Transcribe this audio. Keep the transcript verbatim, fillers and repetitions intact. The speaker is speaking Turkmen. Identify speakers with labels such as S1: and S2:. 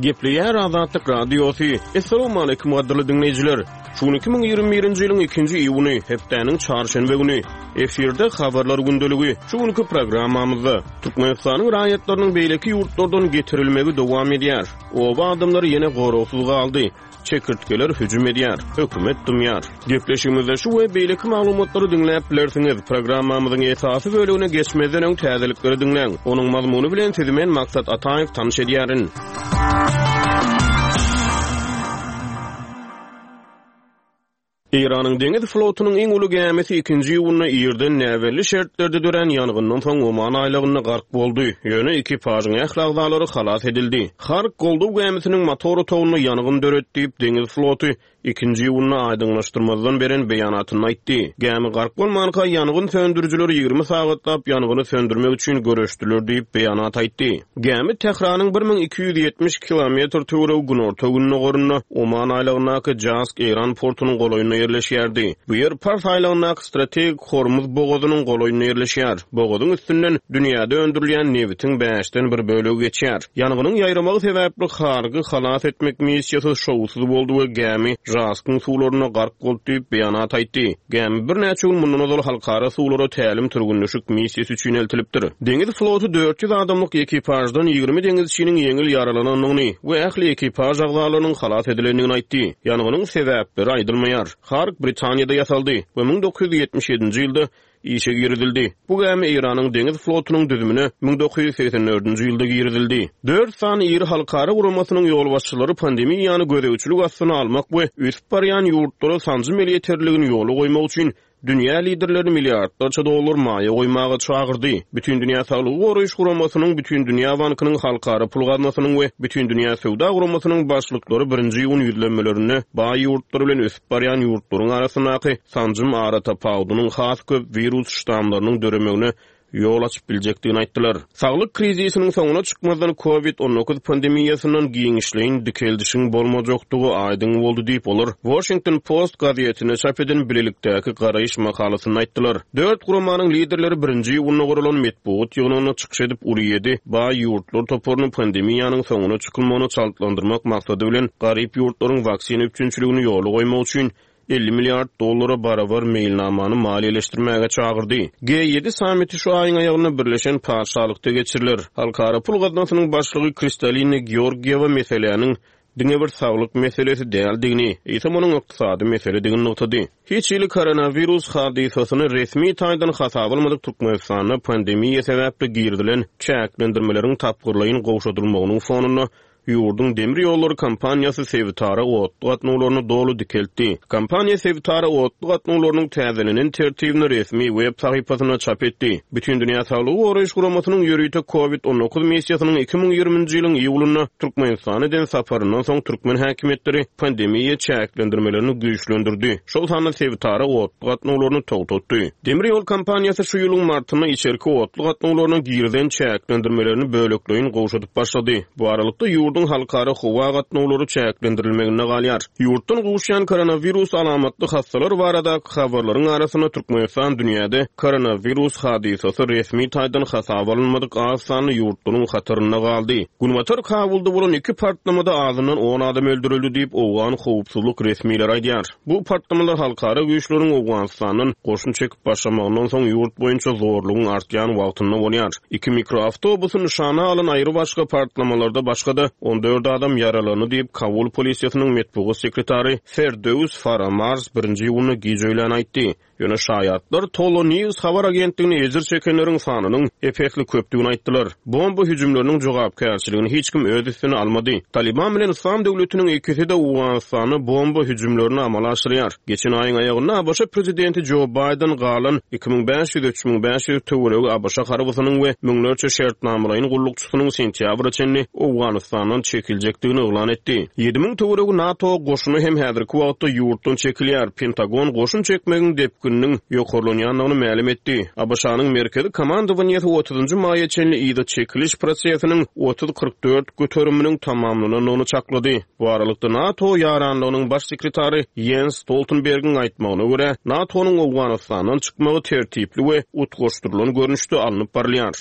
S1: Gepleýär Azatlyk Radiosy. Assalamualaikum gadyrly diňleýjiler. Şu gün iki müň ýigrimi birinji ýylyň ikinji iýuny, hepdäniň çarşenbe güni. Efirde habarlar gündeligi. Şu günki programmamyzda Türkmenistanyň raýatlarynyň beýleki ýurtlardan getirilmegi dowam edýär. Oba adamlary ýene goragsyz galdy. Çekirtgeler hüjüm edýär. Hökümet dymýar. Gepleşigimizde şu we beýleki maglumatlary diňläp bilersiňiz. Programmamyzyň esasy bölümine geçmezden öň täzelikleri diňläň. Onuň mazmuny bilen sizi men Maksat Ataýew tanyş edýärin. Eýranyň deňiz flotunyň iň uly gämisi ikinji iýunda irden näbelli şertlerde dörän ýangyndan soň Oman aýlagynda gark boldy. Ýöne ekipažyň ähli agzalary halas edildi. Hark goldaw gämisiniň motor otagynda ýangyn döretdi diýip, deňiz floty ikinji iýunda aýdyňlaşdyrmazdan beren beýanatynda aýtdy. Gämi gark bolmanka ýangyn söndürijileri ýigrimi sagatlap ýangyny söndürmek üçin göreşdiler diýip beýanat aýtdy. Gämi Tähranyň bir müň iki ýüz ýetmiş kilometr töweregi günorta gündogarynda Oman aýlagyndaky Jask Eýran portunyň golaýynda ýerleşýärdi. Bu ýer Pars aýlagyndaky strategik Hormuz bogazynyň golaýynda ýerleşýär. Bogazyň üstünden dünýäde öndürilýän nebitiň bäşden bir bölegi geçýär. Ýangynyň ýaýramagy sebäpli Hargy halas etmek missiýasy şowsuz boldy we gämi Jaskyň suwlarynda gark boldy diýip beýanat aýtdy. Gämi birnäçe gün mundan ozal halkara suwlara tälim türgünleşik missiýasy üçin eltilipdir. Deňiz floty dört ýüz adamlyk ekipaždan ýigrimi deňizçiniň ýeňil ýaralanandygyny we ähli ekipaž agzalarynyň halas edilendigini aýtdy. Ýangynyň sebäpleri aýdylmaýar. Harg Britaniýada ýasaldy we müň dokuz ýüz ýetmiş ýedinji ýylda işe girizildi. Bu gämi Eýranyň deňiz flotunyň düzümine müň dokuz ýüz segsen dördünji ýylda girizildi. Dört sany iri halkara guramasynyň ýolbaşçylary pandemiýany gözegçilik astyna almak we ösüp barýan ýurtlara sanjym elýeterligini ýola goýmak üçin dünýä liderlerini milliardlarça dollar maýa goýmaga çagyrdy. Bütindünýä Saglygy Goraýyş Guramasynyň, Bütindünýä Bankynyň, Halkara Pul Gaznasynyň we Bütindünýä Söwda Guramasynyň başlyklary birinji iýun ýüzlenmelerinde baý ýurtlar bilen ösüp barýan ýurtlaryň arasyndaky sanjym aratapawudynyň has köp wirus ştamlarynyň döremegine ýol açyp biljekdigini aýtdylar. Saglyk krizisiniň soňuna çykmazdan COVID on dokuz pandemiýasyndan giňişleýin dikeldişiň bolmajakdygy aýdyň boldy diýip, olar Washington Post gazetine çap eden bilelikdäki garaýyş makalasynda aýtdylar. Dört guramanyň liderleri birinji iýunda guralan metbugat ýygnagynda çykyş edip, uly ýedi baý ýurtlar toparyny pandemiýanyň soňuna çykylmagyny çaltlandyrmak maksady bilen garyp ýurtlaryň waksina üpjünçiligini ýola goýmak üçin elli milliard dollara barabar meýilnamany maliýeleşdirmäge çagyrdy. G ýedi sammiti şu aýyň aýagynda Birleşen Patyşalykda geçiriler. Halkara Pul Gaznasynyň başlygy Kristalina Georgiýewa meseläniň diňe bir saglyk meselesi däldigini, eýsem onuň ykdysady meseledigini nygtady. Hiç hili koronawirus hadysasyny resmi taýdan hasaba almadyk Türkmenistanda pandemiýa sebäpli girizilen çäklendirmeleriň tapgyrlaýyn gowşadylmagynyň fonunda ýurduň demir ýollary kompaniýasy sebitara otly gatnawlaryny doly dikeltdi. Kompaniýa sebitara otly gatnawlarynyň täzelenen tertibini resmi web sahypasynda çap etdi. Bütindünýä Saglygy Goraýyş Guramasynyň ýörite COVID on dokuz missiýasynyň iki müň ýigriminji ýylyň iýulynda Türkmenistana eden saparyndan soň türkmen häkimiýetleri pandemiýa çäklendirmelerini güýçlendirdi. Şol sanda sebitara otly gatnawlaryny togtatdy. Demir ýol kompaniýasy şu ýylyň martynda içerki otly gatnawlaryna girizen çäklendirmelerini bölekleýin gowşadyp başlady. Bu aralykda ýurduň halkara howa gatnawlary çäklendirilmeginde galýar. Ýurtdan gowuşýan koronawirus alamatly hastalar baradaky habarlaryň arasynda Türkmenistan dünýäde koronawirus hadysasy resmi taýdan hasaba alynmadyk az sanly ýurtlaryň hatarynda galdy. Günbatar Kabulda bolan iki partlamada azyndan on adam öldürildi diýip Owgan howpsuzlyk resmileri aýdýar. Bu partlamalar halkara güýçleriň Owganistandan goşun çekip başlamagyndan soň ýurt boýunça zorlugyň artýan wagtynda bolýar. Iki mikroawtobusy nyşana alan aýry başga partlamalarda başga-da on dört adam ýaralandy diýip Kabul polisiýasynyň metbugat sekretary Ferdöws Faramars birinji iýunda gije öýlän aýtdy. Ýöne şaýatlar Tolo News habar agentligine ejir çekenleriň sanynyň epesli köpdügini aýtdylar. Bomba hüjümleriniň jogapkärçiligini hiç kim öz üstüne almady. Taliban bilen Islam döwletiniň ikisi de Owganystanda bomba hüjümlerini amala aşyrýar. Geçen aýyň aýagynda A B Ş prezidenti Joe Biden galan iki müň bäş ýüz üç müň bäş ýüz töweregi A B Ş harbysynyň we müňlerçe şertnamalaýyn gullukçysynyň sentýabra çenli Owganistandan çekiljekdigini yglan etdi. Ýedi müň töweregi NATO goşuny hem häzirki wagtda ýurtdan çekilýär. Pentagon goşun çekmegiň depgininiň ýokarlanýandygyny mälim etdi. A B Ş-nyň merkezi komandowaniýasy otuzynjy maýa çenli yza çekiliş prosesiniň otuz kyrk dört göteriminiň tamamlanandygyny çaklady. Bu aralykda NATO ýaranlygynyň baş sekretary Jens Stoltenbergiň aýtmagyna görä, NATO-nyň Owganistandan çykmagy tertipli we utgaşdyrylan görnüşde alnyp barylýar.